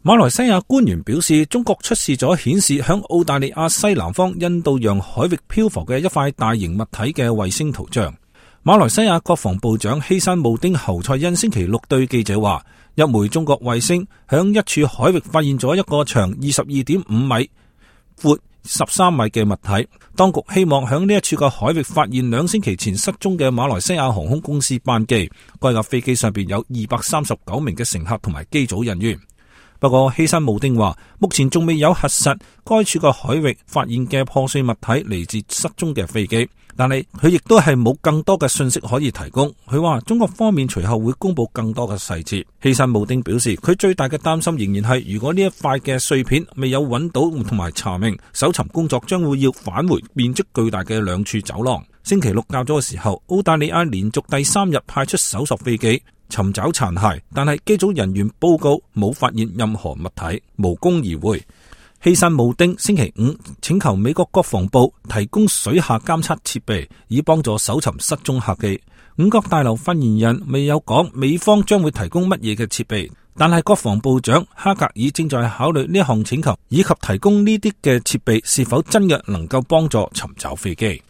馬來西亞官員表示，中國出示咗顯示響澳大利亞西南方印度洋海域漂浮嘅一塊大型物體嘅衛星圖像。馬來西亞國防部長希山慕丁侯賽因星期六對記者話，一枚中國衛星響一處海域發現咗一個長 22.5 米、闊13米嘅物體。當局希望響呢一處嘅海域發現2星期前失蹤嘅馬來西亞航空公司班機。該架飛機上邊有239名嘅乘客同埋機組人員。不過希山慕丁話，目前仲未有核實該處個海域發現嘅破碎物體嚟自失蹤嘅飛機，但係佢亦都係冇更多嘅信息可以提供。佢話中國方面隨後會公布更多嘅細節。希山慕丁表示，佢最大嘅擔心仍然係，如果呢一塊嘅碎片未有揾到同埋查明，搜尋工作將會要返回面積巨大嘅2處走廊。星期六較早嘅時候，澳大利亞連續第3日派出搜索飛機尋找殘骸，但係機組人員報告冇發現任何物體，無功而回。希山慕丁星期五請求美國國防部提供水下監測設備，以幫助搜尋失蹤客機。五角大樓發言人未有講美方將會提供乜嘢嘅設備，但係國防部長哈格爾正在考慮呢一項請求，以及提供呢啲嘅設備是否真嘅能夠幫助尋找飛機。